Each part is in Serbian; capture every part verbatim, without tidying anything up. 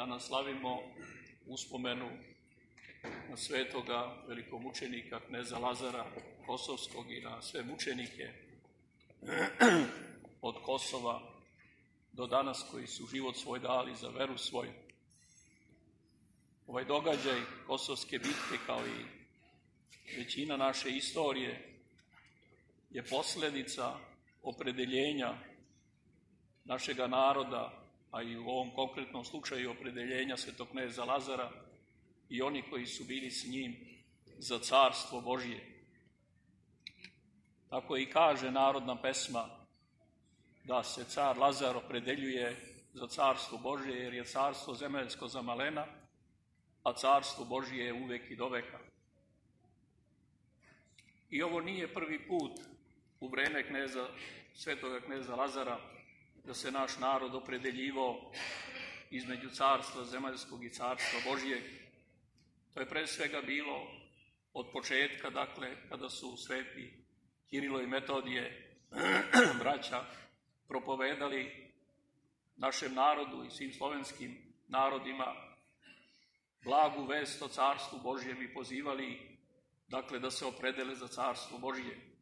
danas slavimo uspomenu na svetoga velikomučenika kneza Lazara Kosovskog i na sve mučenike od Kosova do danas koji su život svoj dali za veru svoju. Ovaj događaj Kosovske bitke, kao i većina naše istorije, je posljedica opredeljenja našega naroda, a i u ovom konkretnom slučaju opredeljenja svetog kneza Lazara i oni koji su bili s njim za carstvo Božje. Tako i kaže narodna pesma da se car Lazar opredeljuje za carstvo Božje, jer je carstvo zemaljsko za malena, a carstvo Božje je uvek i do veka. I ovo nije prvi put u vreme kneza, svetoga kneza Lazara da se naš narod opredeljivao između carstva zemaljskog i carstva Božjeg. To je pre svega bilo od početka, dakle, kada su sveti Kirilo i Metodije, braća, propovedali našem narodu i svim slovenskim narodima blagu vest o carstvu Božjem i pozivali, dakle, da se opredele za carstvo Božje.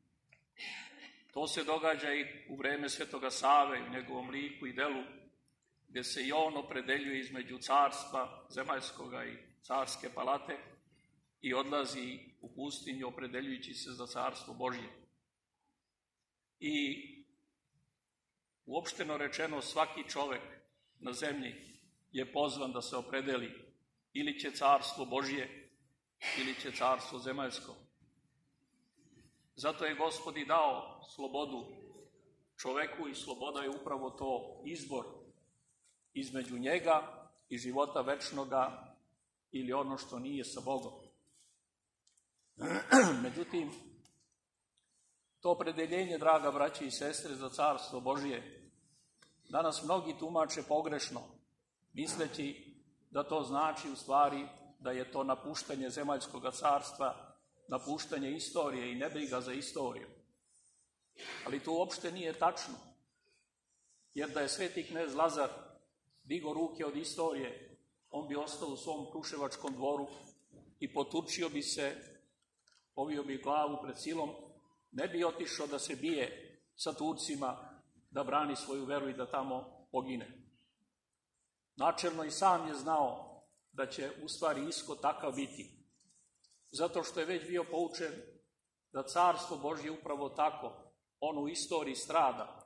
To se događa i u vreme svetoga Save, u njegovom liku i delu, gdje se i on opredeljuje između carstva zemaljskoga i carske palate i odlazi u pustinju opredeljujući se za carstvo Božje. I uopšteno rečeno, svaki čovek na zemlji je pozvan da se opredeli, ili će carstvo Božje, ili će carstvo zemaljsko. Zato je Gospod i dao slobodu čoveku i sloboda je upravo to izbor između njega i života večnoga ili ono što nije sa Bogom. Međutim, to opredeljenje, draga braće i sestre, za carstvo Božje danas mnogi tumače pogrešno, misleći da to znači u stvari da je to napuštanje zemaljskog carstva, napuštanje istorije i nebriga za istoriju. Ali to uopšte nije tačno, jer da je sveti knez Lazar digo ruke od istorije, on bi ostao u svom kruševačkom dvoru i poturčio bi se, povio bi glavu pred silom, ne bi otišao da se bije sa Turcima, da brani svoju veru i da tamo pogine. Načelno i sam je znao da će u stvari ishod takav biti, zato što je već bio poučen da carstvo Božje upravo tako, ono u istoriji strada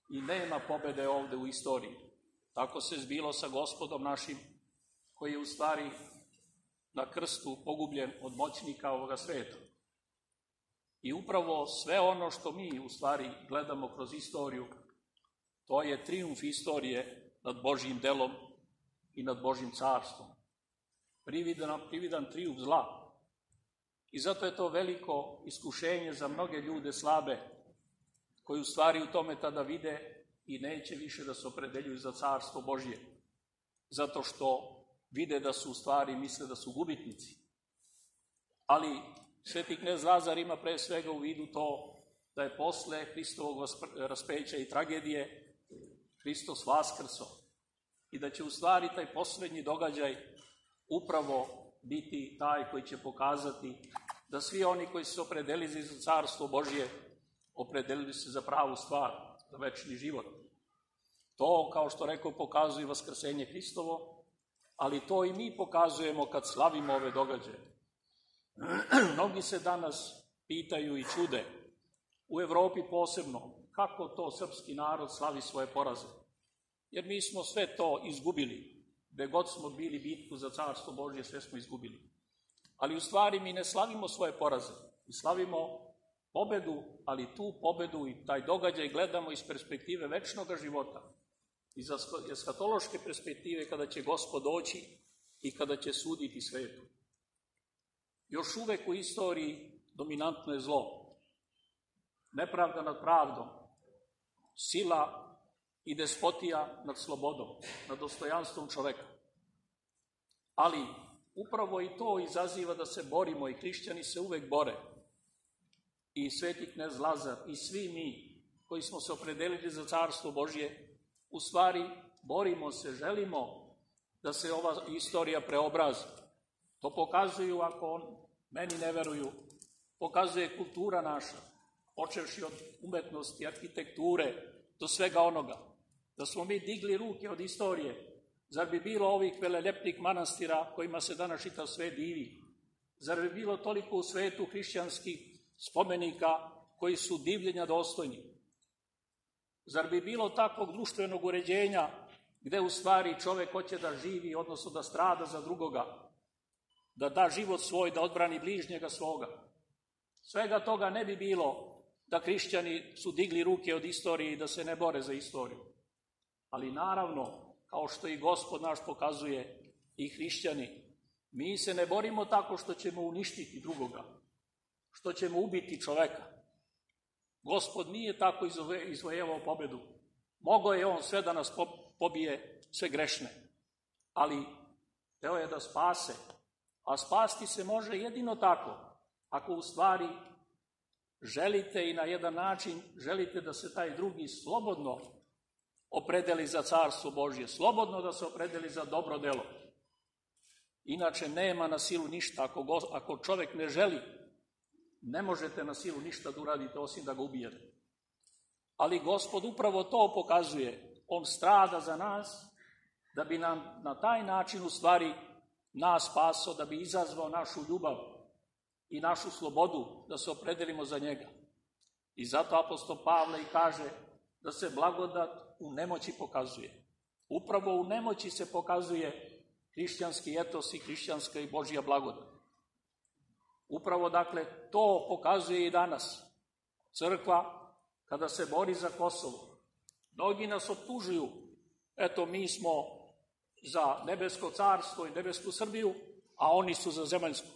i nema pobede ovde u istoriji. Tako se zbilo sa Gospodom našim, koji je u stvari na krstu pogubljen od moćnika ovoga sveta. I upravo sve ono što mi u stvari gledamo kroz istoriju, to je trijumf istorije nad Božjim delom i nad Božjim carstvom. Prividan, prividan trijumf zla. I zato je to veliko iskušenje za mnoge ljude slabe, koji u stvari u tome tada vide i neće više da se opredeljuju za carstvo Božje, zato što vide da su u stvari, misle da su gubitnici. Ali sveti knez Lazar ima pre svega u vidu to da je posle Hristovog raspeća i tragedije Hristos vaskrso i da će u stvari taj poslednji događaj upravo biti taj koji će pokazati da svi oni koji su se opredelili za carstvo Božje opredelili se za pravu stvar, za večni život. To, kao što rekao, pokazuje vaskrsenje Hristovo, ali to i mi pokazujemo kad slavimo ove događaje. Mnogi se danas pitaju i čude, u Evropi posebno, kako to srpski narod slavi svoje poraze. Jer mi smo sve to izgubili. Gde god smo bili bitku za carstvo Božje, sve smo izgubili. Ali u stvari mi ne slavimo svoje poraze. Mi slavimo pobedu, ali tu pobedu i taj događaj gledamo iz perspektive večnog života. Iz eskatološke perspektive kada će Gospod doći i kada će suditi svetu. Još uvek u istoriji dominantno je zlo. Nepravda nad pravdom, sila i despotija nad slobodom, nad dostojanstvom čoveka. Ali upravo i to izaziva da se borimo i hrišćani se uvek bore. I sveti knez Lazar i svi mi koji smo se opredelili za carstvo Božje, u stvari borimo se, želimo da se ova istorija preobrazi. To pokazuju, ako on, meni ne veruju, pokazuje kultura naša, počevši od umetnosti, arhitekture, do svega onoga. Da smo mi digli ruke od istorije, zar bi bilo ovih velelepnih manastira kojima se danas čitav svet divi? Zar bi bilo toliko u svetu hrišćanskih spomenika koji su divljenja dostojni? Zar bi bilo takvog društvenog uređenja gde u stvari čovek hoće da živi, odnosno da strada za drugoga, da da život svoj, da odbrani bližnjega svoga? Svega toga ne bi bilo da hrišćani su digli ruke od istorije i da se ne bore za istoriju. Ali naravno, kao što i Gospod naš pokazuje, i hrišćani, mi se ne borimo tako što ćemo uništiti drugoga, što ćemo ubiti čoveka. Gospod nije tako izvojevao pobedu. Mogao je on sve da nas pobije, sve grešne. Ali hteo je da spase. A spasti se može jedino tako, ako u stvari želite i na jedan način želite da se taj drugi slobodno opredeli za carstvo Božje, slobodno da se opredeli za dobro delo. Inače nema na silu ništa. Ako, go, ako čovek ne želi, ne možete na silu ništa da uradite osim da ga ubijete. Ali Gospod upravo to pokazuje. On strada za nas da bi nam na taj način u stvari nas spasao, da bi izazvao našu ljubav i našu slobodu da se opredelimo za njega. I zato apostol Pavle i kaže da se blagodat u nemoći pokazuje. Upravo u nemoći se pokazuje hrišćanski etos i hrišćanska i Božja blagodat. Upravo, dakle, to pokazuje i danas crkva kada se bori za Kosovo. Mnogi nas optužuju, eto, mi smo za nebesko carstvo i nebesku Srbiju, a oni su za zemaljsku.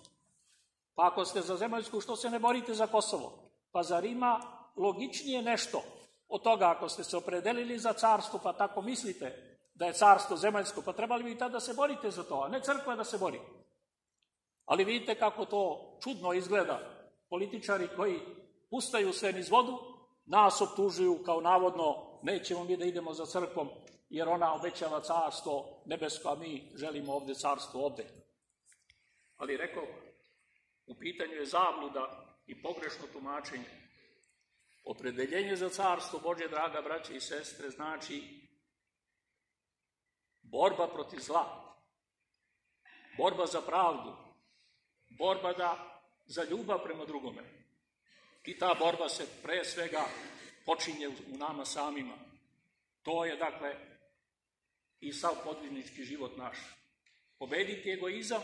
Pa ako ste za zemaljsku, što se ne borite za Kosovo? Pa zar ima logičnije nešto od toga, ako ste se opredelili za carstvo, pa tako mislite da je carstvo zemaljsko, pa trebali bi i tada da se borite za to, a ne crkva da se bori. Ali vidite kako to čudno izgleda. Političari koji pustaju sve niz vodu, nas optužuju kao navodno nećemo mi da idemo za crkvom, jer ona obećava carstvo nebesko, a mi želimo ovde carstvo ovde. Ali rekao, u pitanju je zabluda i pogrešno tumačenje. Opredeljenje za carstvo Božje, draga braće i sestre, znači borba protiv zla, borba za pravdu, borba da, za ljubav prema drugome. I ta borba se pre svega počinje u nama samima. To je, dakle, i sav podviznički život naš. Pobediti egoizam,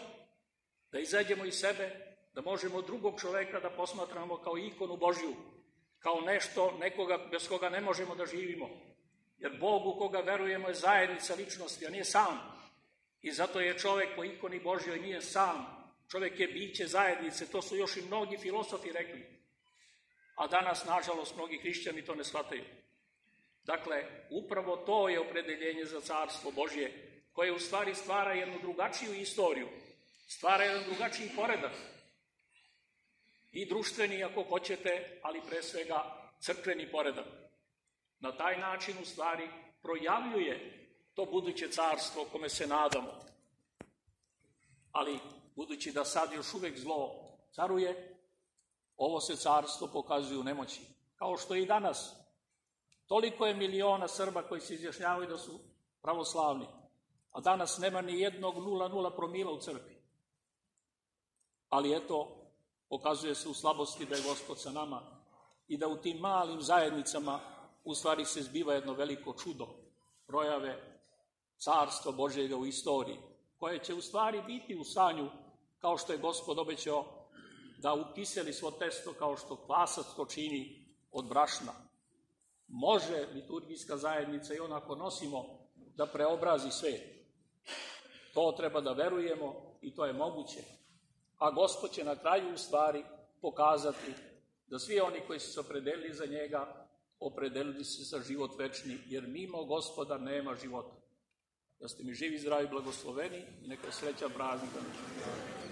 da izađemo iz sebe, da možemo drugog čoveka da posmatramo kao ikonu Božju, kao nešto, nekoga bez koga ne možemo da živimo. Jer Bog u koga verujemo je zajednica ličnosti, a nije sam. I zato je čovek po ikoni Božjoj nije sam. Čovek je biće zajednice, to su još i mnogi filosofi rekli. A danas, nažalost, mnogi hrišćani to ne shvataju. Dakle, upravo to je opredeljenje za carstvo Božje, koje u stvari stvara jednu drugačiju istoriju, stvara jedan drugačiji poredak. I društveni, ako hoćete, ali pre svega crkveni poredak. Na taj način, u stvari, projavljuje to buduće carstvo kome se nadamo. Ali, budući da sad još uvek zlo caruje, ovo se carstvo pokazuje u nemoći. Kao što i danas. Toliko je miliona Srba koji se izjašnjavaju da su pravoslavni, a danas nema ni jednog nula nula promila u crkvi. Ali eto, pokazuje se u slabosti da je Gospod sa nama i da u tim malim zajednicama u stvari se zbiva jedno veliko čudo, projave carstva Božjega u istoriji, koje će u stvari biti u stanju, kao što je Gospod obećao, da ukiseli svo testo kao što kvasac to čini od brašna. Može liturgijska zajednica i onako nosimo da preobrazi svet. To treba da verujemo i to je moguće. A Gospod će na kraju u stvari pokazati da svi oni koji su se opredelili za njega, opredelili se za život večni, jer mimo Gospoda nema života. Da ste mi živi, zdravi, blagosloveni i neka sreća praznika.